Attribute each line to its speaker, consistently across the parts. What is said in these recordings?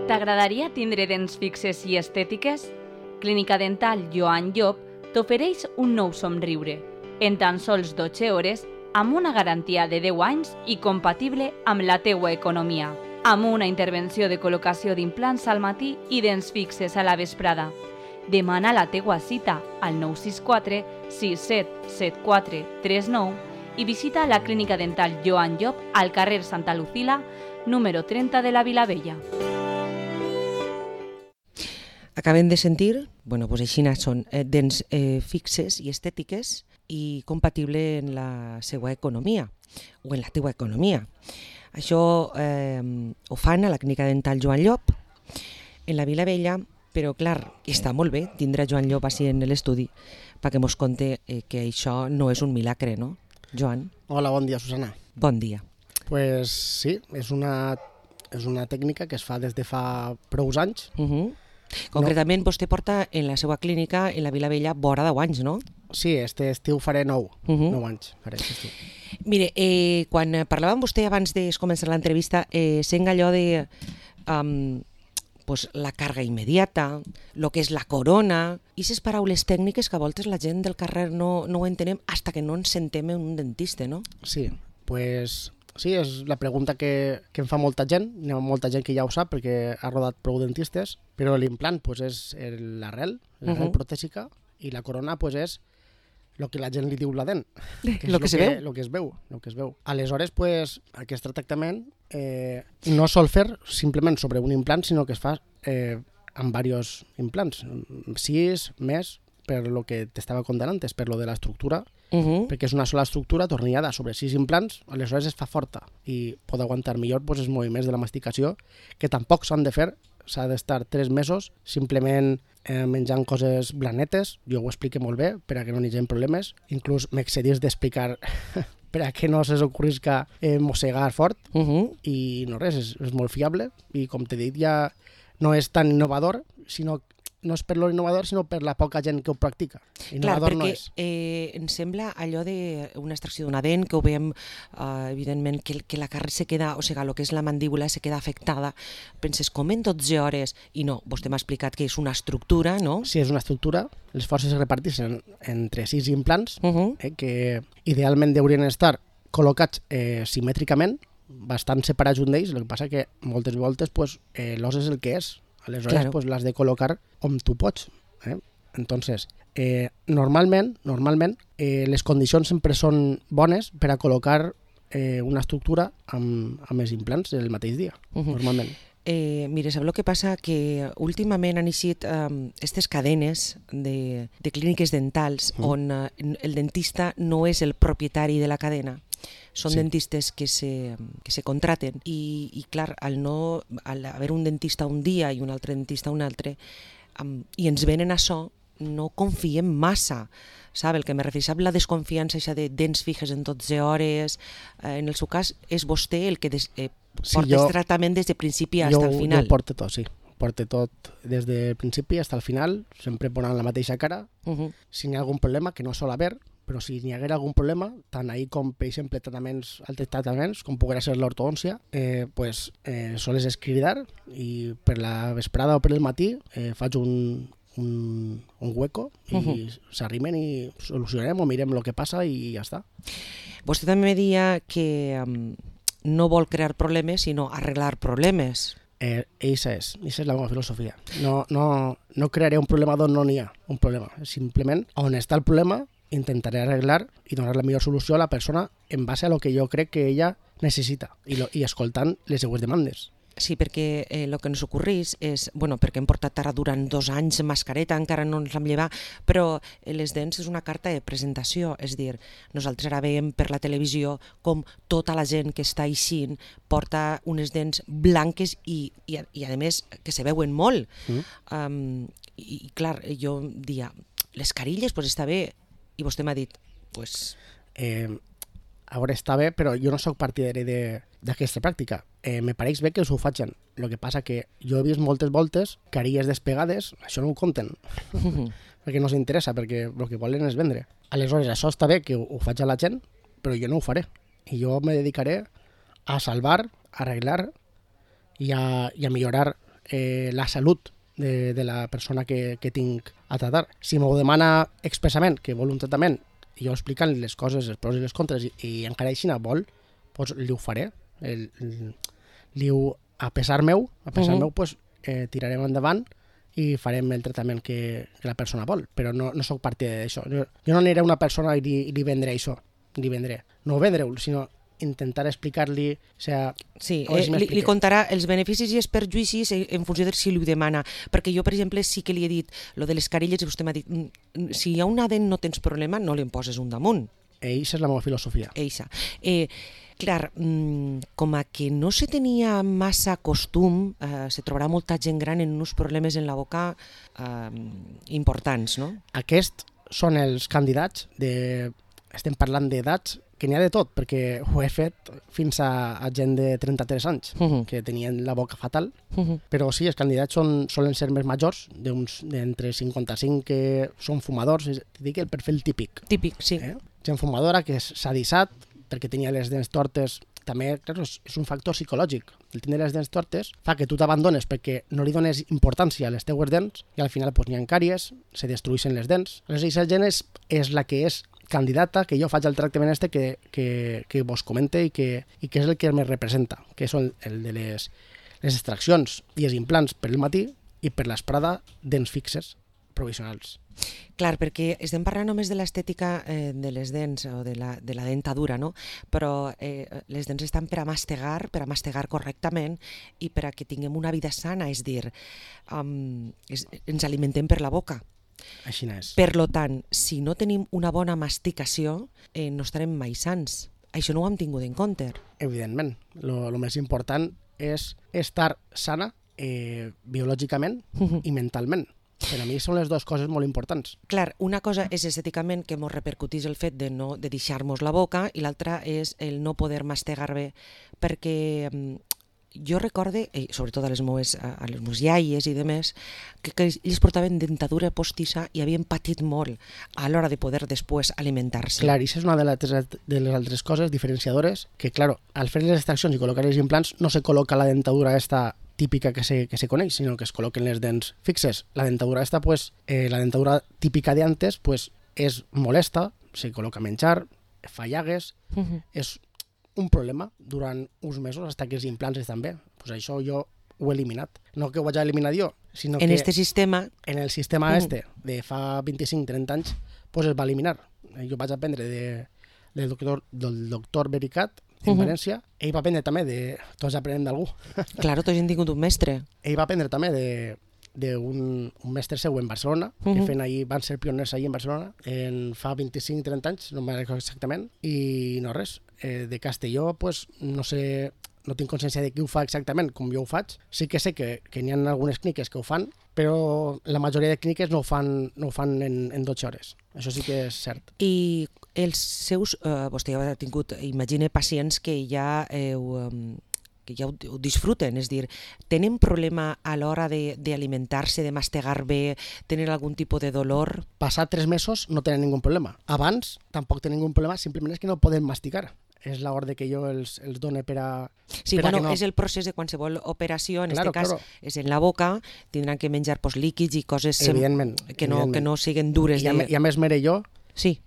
Speaker 1: T'agradaria tindre dents fixes i estètiques? Clínica Dental Joan Llop t'ofereix un nou somriure, en tan sols 12 hores, amb una garantia de 10 anys i compatible amb la teua economia, amb una intervenció de col·locació d'implants al matí i dents fixes a la vesprada. Demana la teua cita al 964 6774 39 i visita la Clínica Dental Joan Llop al carrer Santa Lucila, número 30 de la Vilavella.
Speaker 2: Acabem de sentir, així són dents fixes i estètiques i compatible en la seva economia o en la teua economia. Això ho fan a la Clínica Dental Joan Llop, en la Vilavella, però clar, està molt bé tindre Joan Llop així en l'estudi perquè mos conte que això no és un milagre, no, Joan?
Speaker 3: Hola, bon dia, Susana.
Speaker 2: Bon dia.
Speaker 3: Pues sí, és una tècnica que es fa des de fa prou anys.
Speaker 2: Concretament, vostè porta en la seva clínica, en la Vilavella, vora 10 anys, no?
Speaker 3: Sí, este estiu faré 9 anys. Faré estiu.
Speaker 2: Mire, quan parlava amb vostè abans de començar l'entrevista, sent allò de la càrrega immediata, el que és la corona, i aquestes paraules tècniques que a voltes la gent del carrer no ho entenem fins que no ens sentem en un dentista, no?
Speaker 3: Sí, pues sí, és la pregunta que em fa molta gent. Hi ha molta gent que ja ho sap perquè ha rodat prou dentistes, però l'implant és l'arrel protèsica, i la corona és el que la gent li diu la dent, que és el que es veu. Aleshores, aquest tractament no sol fer simplement sobre un implant, sinó que es fa amb diversos implants, 6 més, per lo que t'estava contant antes, per lo de l'estructura, perquè és una sola estructura tornillada sobre 6 implants, aleshores es fa forta i pot aguantar millor els moviments de la masticació, que tampoc s'han de fer, s'ha d'estar 3 mesos simplement menjant coses blanetes. Jo ho explico molt bé per a que no hi hagi problemes, inclús m'excedís d'explicar per a que no se s'ocorrisca mossegar fort, i no res, és molt fiable, i com t'he dit ja no és tan innovador, sinó no és per lo innovador, sinó per la poca gent que ho practica. Innovador no és.
Speaker 2: Em sembla allò d'una extracció d'una dent, que ho veiem, evidentment, que la carn se queda, o sigui, el que és la mandíbula se queda afectada. Penses, com en 12 hores? I no, vostè m'ha explicat que és una estructura, no?
Speaker 3: Sí, és una estructura. Les forces es reparteixen entre 6 implants, que idealment haurien d'estar col·locats simètricament, bastant separats un d'ells. El que passa que moltes voltes l'os és el que és. Aleshores, l'has de col·locar on tu pots. Entonces, normalment, les condicions sempre són bones per a col·locar una estructura amb els implants el mateix dia, normalment.
Speaker 2: Mira, sap el que passa? Que últimament han eixit aquestes cadenes de clíniques dentals on el dentista no és el propietari de la cadena. Són dentistes que se contraten i clar, al haver un dentista un dia i un altre dentista un altre, i ens venen això, no confiem massa. Sap? El que me refereix a la desconfiança de dents fixes en 12 hores, en el seu cas és vostè el que porta el tractament des de principi fins al final.
Speaker 3: Jo porto tot, sí. Porto tot des del principi fins al final, sempre posant la mateixa cara. Si hi ha algun problema, que no sol haver, però si hi haguera algun problema, tant ahir com, per exemple, altres tractaments, com poguera ser l'ortodòncia, sols és cridar i per la vesprada o per el matí faig un hueco i s'arrimen i solucionem o mirem el que passa i ja està.
Speaker 2: Vostè també deia que no vol crear problemes, sinó arreglar problemes.
Speaker 3: Eixa és la meva filosofia. No crearé un problema d'on no n'hi ha un problema. Simplement, on està el problema, intentaré arreglar i donar la millor solució a la persona en base a lo que jo crec que ella necessita i escoltant les seues demandes.
Speaker 2: Sí, perquè el que ens ocorreix és, perquè hem portat ara durant 2 anys mascareta, encara no ens l'hem llevat, però les dents és una carta de presentació, és dir, nosaltres ara veiem per la televisió com tota la gent que està eixint porta unes dents blanques i a més que se veuen molt. I clar, jo dia, les carilles, està bé, i vostè m'ha dit,
Speaker 3: a veure, està bé, però jo no sóc partidari d'aquesta pràctica. Me pareix bé que us ho facin. El que passa que jo he vist moltes voltes carilles despegades, això no ho compten, perquè no s'interessa, perquè el que volen és vendre. Aleshores, això està bé que ho faig a la gent, però jo no ho faré. I jo me dedicaré a salvar, a arreglar i a millorar la salut de la persona que tinc a tratar. Si m'ho demana expressament que vol un tractament, jo explicant les coses, els pros i les contres, i encara així vol, doncs li ho faré. A pesar meu, doncs, tirarem endavant i farem el tractament que la persona vol, però no sóc partidari d'això. Jo no aniré a una persona i li vendré això, no vendre-ho, sinó intentar explicar-li...
Speaker 2: Sí, li contarà els beneficis i els perjuïcis en funció de si li ho demana, perquè jo, per exemple, sí que li he dit lo de les carilles i vostè m'ha dit si hi ha una dent no tens problema, no li en poses un damunt.
Speaker 3: Eixa és la meva filosofia.
Speaker 2: Eixa. Clar, com a que no se tenia massa costum, se trobarà molta gent gran en uns problemes en la boca importants, no?
Speaker 3: Aquests són els candidats estem parlant d'edats que n'hi ha de tot, perquè ho he fet fins a gent de 33 anys, que tenien la boca fatal, però sí, els candidats solen ser més majors, d'entre 55 que són fumadors, dic el perfil típic.
Speaker 2: Típic, sí.
Speaker 3: Gent fumadora que s'ha dissat perquè tenia les dents tortes, també clar, és un factor psicològic. El tenir les dents tortes fa que tu t'abandones perquè no li dones importància a les teues dents i al final n'hi ha càries, se destrueixen les dents. Aleshores, aquesta gent és la que és candidata, que jo faig el tractament que vos comente i que és el que me representa, que són el de les extraccions i els implants per el matí i per l'esprada dents fixes provisionals.
Speaker 2: Clar, perquè estem parlant només de l'estètica de les dents o de la dentadura, no? Però les dents estan per a mastegar correctament i per a que tinguem una vida sana, és dir, ens alimentem per la boca.
Speaker 3: Així és.
Speaker 2: Per tant, si no tenim una bona masticació, no estarem mai sants. Això no ho hem tingut en compte.
Speaker 3: Evidentment. Lo més important és estar sana biològicament i mentalment. Per a mi són les dues coses molt importants.
Speaker 2: Clar, una cosa és estèticament que ens repercutís el fet de deixar-nos la boca i l'altra és el no poder mastegar bé, perquè jo recorde, sobretot a les meves iaies i demés, que ells portaven dentadura postissa i havien patit molt a l'hora de poder després alimentar-se.
Speaker 3: Clar, i això és una de les altres coses diferenciadores, que, clar, al fer les extraccions i col·locar els implants no se col·loca la dentadura esta típica que se coneix, sinó que es col·loquen les dents fixes. La dentadura esta, la dentadura típica de antes, és molesta, se col·loca menjar, fa llagues, és un problema durant uns mesos fins que els implants estan bé. Això jo ho he eliminat. No que ho vaig eliminar jo, sinó que en el sistema de fa 25-30 anys es va eliminar. Jo vaig aprendre del doctor Bericat en València. Ell va aprendre també tots aprenem d'algú.
Speaker 2: Claro, tots hem tingut un mestre.
Speaker 3: Ell va aprendre també d'un mestre seu en Barcelona, que van ser pioners allà en Barcelona fa 25-30 anys, no me'n recordo exactament, i no res. De Castelló, no sé, no tinc consciència de qui ho fa exactament com jo ho faig. Sí que sé que n'hi ha algunes clíniques que ho fan, però la majoria de clíniques no ho fan en 12 hores. Això sí que és cert.
Speaker 2: I els seus, vostè ja ha tingut, imagine, pacients que ja ho disfruten, és dir, tenen problema a l'hora d'alimentar-se, de mastegar bé, tenen algun tipus de dolor?
Speaker 3: Passat 3 mesos no tenen ningú problema. Abans tampoc tenen ningú problema, simplement és que no poden masticar. És l'ordre que jo els done per a...
Speaker 2: Sí, bueno, és el procés de qualsevol operació, en aquest cas és en la boca, tindran que menjar líquids i coses que no siguin dures.
Speaker 3: I a més m'ere jo,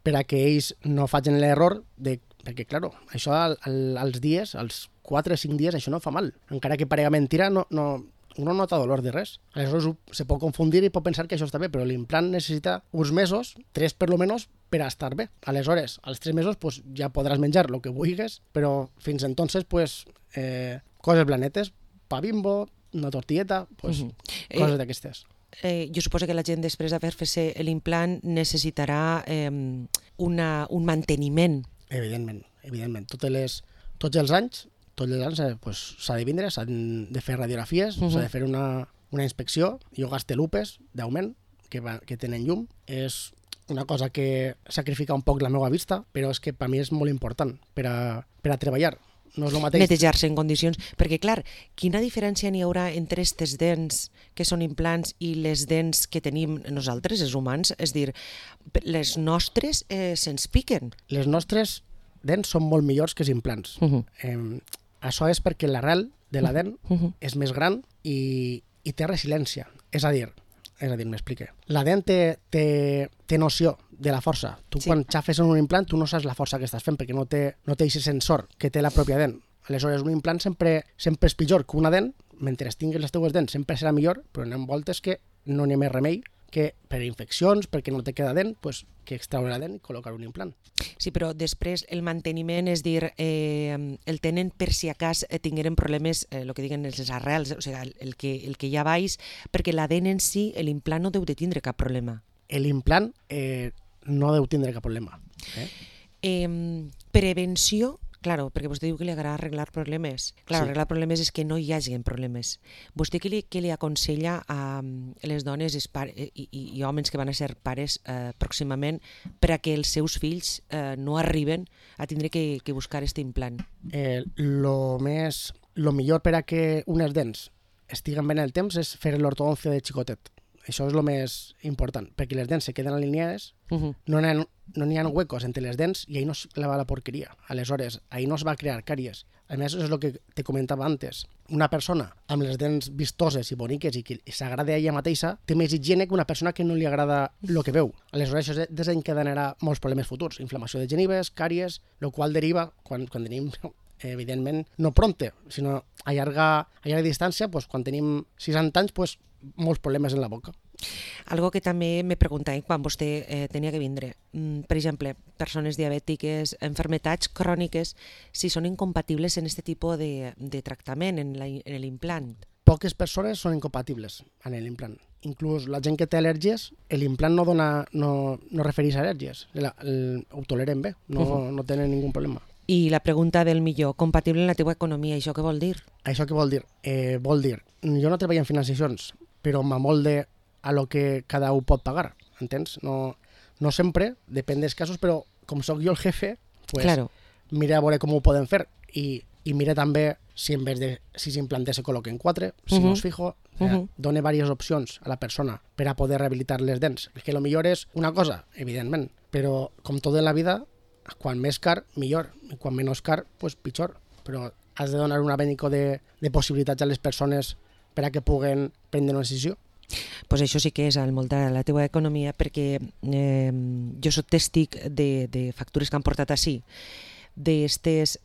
Speaker 3: per a que ells no facin l'error perquè, clar, això als dies, als 4 o 5 dies, això no fa mal. Encara que parega mentira, uno no nota dolor de res. Aleshores se pot confundir i pot pensar que això està bé, però l'implant necessita uns mesos, 3 per lo menos, per a estar bé. Aleshores, als 3 mesos ja podràs menjar el que vulguis, però fins entonces, coses blanetes, pa Bimbo, una tortilleta, coses d'aquestes.
Speaker 2: Jo suposo que la gent després d'haver-se l'implant necessitarà un manteniment.
Speaker 3: Evidentment. Tots els anys s'ha de vindre, s'han de fer radiografies, s'ha de fer una inspecció. Jo gaste lupes d'augment que tenen llum. És una cosa que sacrifica un poc la meva vista, però és que per mi és molt important per a treballar. No és el mateix.
Speaker 2: Netejar-se en condicions, perquè clar, quina diferència n'hi haurà entre aquestes dents que són implants i les dents que tenim nosaltres, els humans? És dir, les nostres se'ns piquen.
Speaker 3: Les nostres dents són molt millors que els implants. Això és perquè l'arrel de la dent és més gran i i té resiliència. És a dir, m'explique. La dent té noció de la força. Tu quan xafes en un implant, tu no saps la força que estàs fent perquè no té aquest sensor que té la pròpia dent. Aleshores, un implant sempre és pitjor que una dent, mentre tinguis les teues dents sempre serà millor, però hi ha voltes que no n'hi ha més remei que per infeccions, perquè no te queda dent, que extraure la dent i col·locar un implant.
Speaker 2: Sí, però després el manteniment, és dir, el tenen per si acas tingueren problemes, el que diguen les arrels, o sigui, el que hi ha baix, perquè la dent en si, l'implant no deu de tindre cap problema.
Speaker 3: L'implant no deu tindre cap problema.
Speaker 2: Prevenció, claro, perquè vostè diu que li agrada arreglar problemes. Claro, arreglar problemes és que no hi hagi problemes. Vostè què li aconsella a les dones i homes que van a ser pares pròximament per a que els seus fills no arriben a tindre que buscar aquest implant?
Speaker 3: Lo millor per a que unes dents estiguen ben el temps és fer l'ortodòncia de xicotet. Això és el més important, perquè les dents se queden alineades, no n'hi ha huecos entre les dents i ahí no es clava la porqueria. Aleshores, ahí no es va crear càries. A més, és el que te comentava antes. Una persona amb les dents vistoses i boniques i que s'agrada a ella mateixa té més higiene que una persona que no li agrada el que veu. Aleshores, això desencadenarà molts problemes futurs. Inflamació de genives, càries, el qual deriva, quan tenim, evidentment, no prompte, sinó a llarga distància, quan tenim 60 anys, molts problemes en la boca.
Speaker 2: Algo que també me preguntava quan vostè tenia que vindre. Per exemple, persones diabètiques, enfermetats cròniques, si són incompatibles en aquest tipus de tractament, en l'implant.
Speaker 3: Poques persones són incompatibles en l'implant. Inclús la gent que té al·lèrgies, l'implant no refereix a al·lèrgies. Ho toleren bé, no tenen ningun problema.
Speaker 2: I la pregunta del millor, compatible en la teva economia, això què vol dir?
Speaker 3: Això què vol dir? Vol dir, jo no treballo en financiacions, però m'amolde a lo que cada un pot pagar, entens? No sempre, depèn dels casos, però com sóc jo el jefe, mira a veure com ho podem fer i mira també si en vez de 6 implants se col·loquen 4, si no es fijo, dona diverses opcions a la persona per a poder rehabilitar les dents. Que el millor és una cosa, evidentment, però com tot en la vida, quan més car, millor, i quan menys car, pitjor, però has de donar un abanico de possibilitats a les persones per a que puguen prendre una decisió.
Speaker 2: Pues això sí que és al moldar la teva economia, perquè jo soc tèstic de factures que han portat així, d'aquestes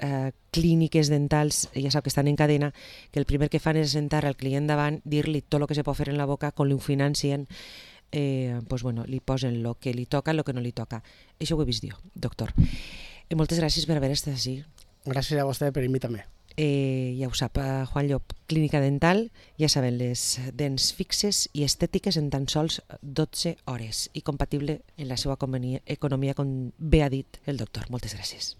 Speaker 2: clíniques dentals, ja sap que estan en cadena, que el primer que fan és sentar al client davant, dir-li tot el que se pot fer en la boca, com li ho financien, li posen el que li toca, el que no li toca. Això ho he vist jo, doctor. Moltes gràcies per haver estat així.
Speaker 3: Gràcies a vostè per invitar-me.
Speaker 2: Ja ho sap, Juan Llop, Clínica Dental, ja saben, les dents fixes i estètiques en tan sols 12 hores i compatible en la seva economia, com bé ha dit el doctor. Moltes gràcies.